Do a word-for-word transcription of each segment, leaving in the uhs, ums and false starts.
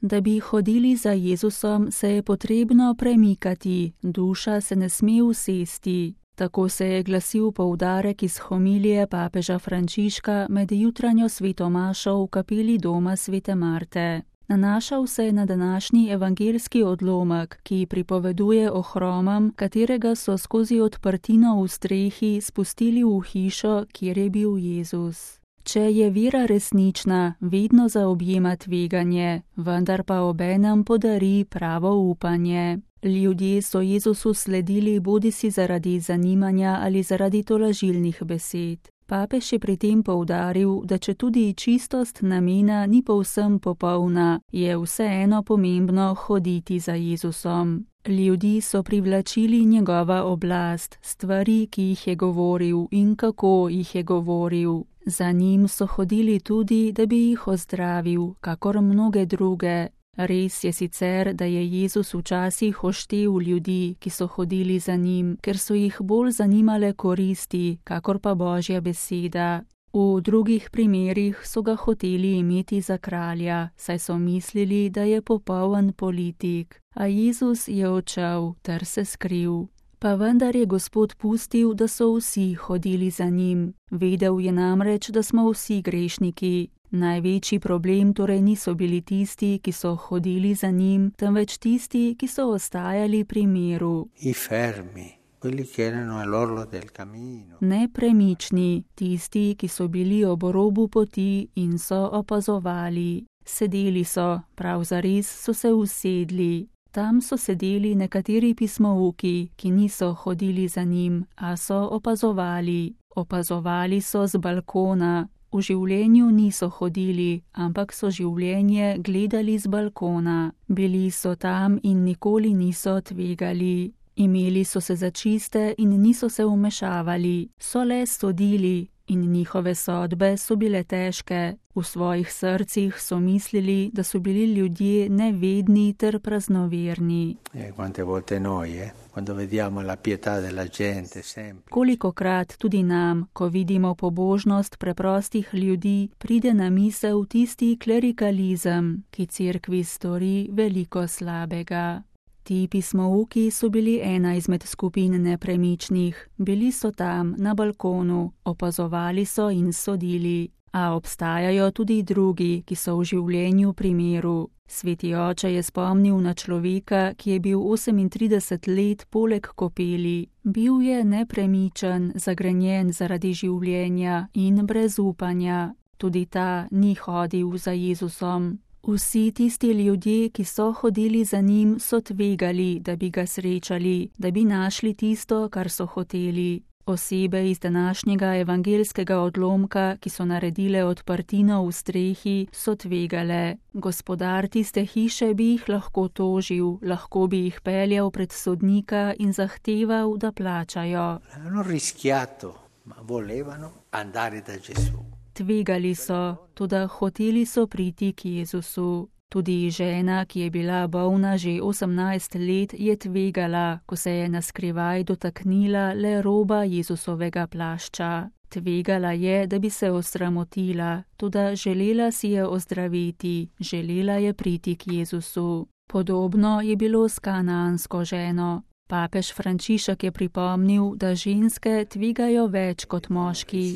Da bi hodili za Jezusom, se je potrebno premikati, duša se ne sme usesti. Tako se je glasil poudarek iz homilije papeža Frančiška med jutranjo sveto mašo v kapeli doma svete Marte. Nanašal se je na današnji evangeljski odlomek, ki pripoveduje o hromam, katerega so skozi odprtino v strehi spustili v hišo, kjer je bil Jezus. Če je vera resnična, vedno zaobjema tveganje, vendar pa obenem podari pravo upanje. Ljudje so Jezusu sledili bodisi zaradi zanimanja ali zaradi tolažilnih besed. Papež je pri tem poudaril, da če tudi čistost namena ni povsem popolna, je vseeno pomembno hoditi za Jezusom. Ljudi so privlačili njegova oblast, stvari, ki jih je govoril in kako jih je govoril. Za njim so hodili tudi, da bi jih ozdravil, kakor mnoge druge. Res je sicer, da je Jezus včasih oštel ljudi, ki so hodili za njim, ker so jih bolj zanimale koristi, kakor pa Božja beseda. V drugih primerih so ga hoteli imeti za kralja, saj so mislili, da je popoln politik. A Jezus je odšel ter se skril. Pa vendar je Gospod pustil, da so vsi hodili za njim. Vedel je namreč, da smo vsi grešniki. Največji problem torej niso bili tisti, ki so hodili za njim, temveč tisti, ki so ostajali pri miru. I fermi, quelli che erano all'orlo del cammino. Nepremični, tisti, ki so bili ob robu poti in so opazovali. Sedeli so, prav zares so se usedli. Tam so sedeli nekateri pismouki, ki niso hodili za njim, a so opazovali. Opazovali so z balkona. V življenju niso hodili, ampak so življenje gledali z balkona. Bili so tam in nikoli niso tvegali. Imeli so se za čiste in niso se vmešavali. So le sodili in njihove sodbe so bile težke. V svojih srcih so mislili, da so bili ljudje nevedni ter praznoverni. E quante volte noi, eh? Quando vediamo la pietà della gente sempre. Kolikokrat tudi nam, ko vidimo pobožnost preprostih ljudi, pride na misel tisti klerikalizem, ki cerkvi stori veliko slabega. Ti pismouki so bili ena izmed skupin nepremičnih, bili so tam na balkonu, opazovali so in sodili. A obstajajo tudi drugi, ki so v življenju pri miru. Sveti oče je spomnil na človeka, ki je bil osemintrideset let poleg kopeli. Bil je nepremičen, zagrenjen zaradi življenja in brez upanja. Tudi ta ni hodil za Jezusom. Vsi tisti ljudje, ki so hodili za njim, so tvegali, da bi ga srečali, da bi našli tisto, kar so hoteli. Osebe iz današnjega evangeljskega odlomka, ki so naredile odprtino v strehi, so tvegale. Gospodar tiste hiše bi jih lahko tožil, lahko bi jih peljal pred sodnika in zahteval, da plačajo. Hanno rischiato, ma volevano andare da Gesù. Tvegali so, toda hoteli so priti k Jezusu. Tudi žena, ki je bila bolna že osemnajst let, je tvegala, ko se je naskrivaj dotaknila le roba Jezusovega plašča. Tvegala je, da bi se osramotila, toda želela si je ozdraviti, želela je priti k Jezusu. Podobno je bilo s kanaansko ženo. Papež Frančišek je pripomnil, da ženske tvegajo več kot moški.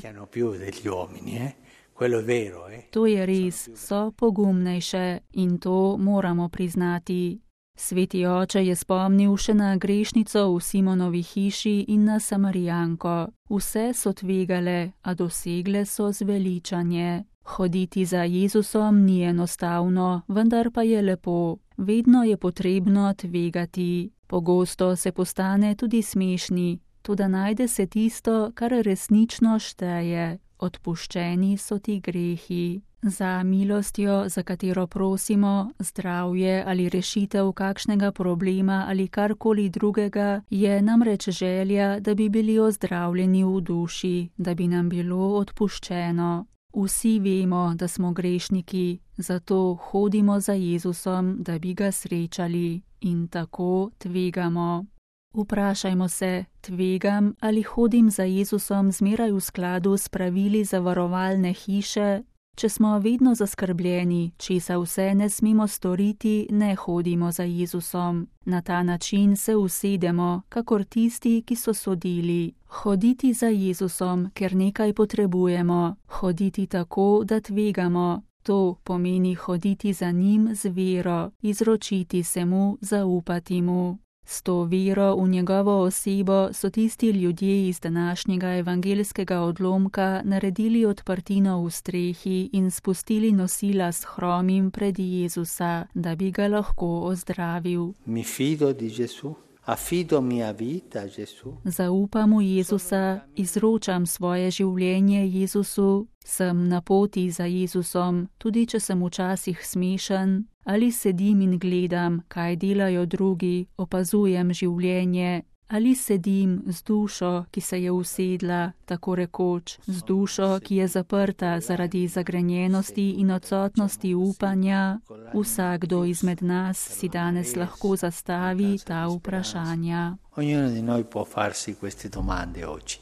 To je res, so pogumnejše in to moramo priznati. Sveti oče je spomnil še na grešnico v Simonovi hiši in na Samarijanko. Vse so tvegale, a dosegle so zveličanje. Hoditi za Jezusom ni enostavno, vendar pa je lepo. Vedno je potrebno tvegati. Pogosto se postane tudi smešni, toda najde se tisto, kar resnično šteje. Odpuščeni so ti grehi. Za milostjo, za katero prosimo, zdravje ali rešitev kakšnega problema ali karkoli drugega, je namreč želja, da bi bili ozdravljeni v duši, da bi nam bilo odpuščeno. Vsi vemo, da smo grešniki, zato hodimo za Jezusom, da bi ga srečali in tako tvegamo. Vprašajmo se, tvegam ali hodim za Jezusom zmeraj v skladu s pravili zavarovalne hiše? Če smo vedno zaskrbljeni, česa vse ne smemo storiti, ne hodimo za Jezusom. Na ta način se usedemo, kakor tisti, ki so sodili. Hoditi za Jezusom, ker nekaj potrebujemo. Hoditi tako, da tvegamo. To pomeni hoditi za njim z vero, izročiti se mu, zaupati mu. S to vero v njegovo osebo so tisti ljudje iz današnjega evangeljskega odlomka naredili odprtino v strehi in spustili nosila s hromim pred Jezusa, da bi ga lahko ozdravil. Mi fido di Gesù. Affido mia vita a Gesù. Zaupam v Jezusa, izročam svoje življenje Jezusu, sem na poti za Jezusom, tudi če sem včasih smešen, ali sedim in gledam, kaj delajo drugi, opazujem življenje, ali sedim z dušo, ki se je usedla, tako rekoč, z dušo, ki je zaprta zaradi zagrenjenosti in odsotnosti upanja. Vsakdo izmed nas si danes lahko zastavi ta vprašanja. Ognuno di noi può farsi queste domande oggi.